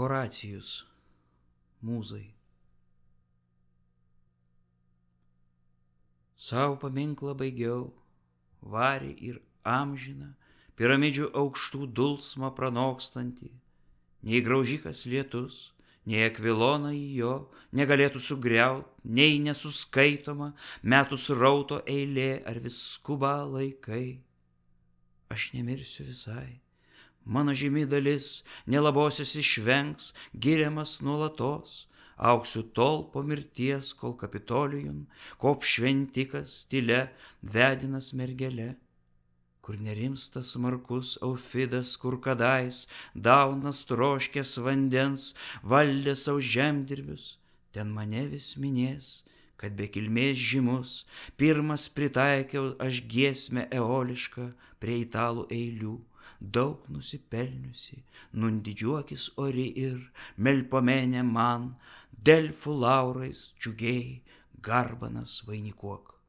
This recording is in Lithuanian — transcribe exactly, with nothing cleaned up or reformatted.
Horacijus, mūzai. Sau paminklą baigiau, varį ir amžiną, piramidžių aukštų dulsmą pranokstantį, nei graužikas lietus, nei akvilonai jo negalėtų sugriaut, nei nesuskaitoma metų srauto eilė ar vis skuba laikai. Aš nemirsiu visai, mano žymi dalis nelabosios išvengs, giriamas nuolatos, augsiu tol po mirties, kol Kapitolijum kop šventikas tylia vedinas mergele, kur nerimsta smarkus Aufidas, kur kadais daunas troškęs vandens valdė savo žemdirbius, ten mane vis minės, kad be kilmės žymus pirmas pritaikiau aš giesmę eolišką prie italų eilių, daug nusipelniusi, nun didžiuokis ori ir Melpomene man, Delfų laurais džiugiai garbanas vainikuok.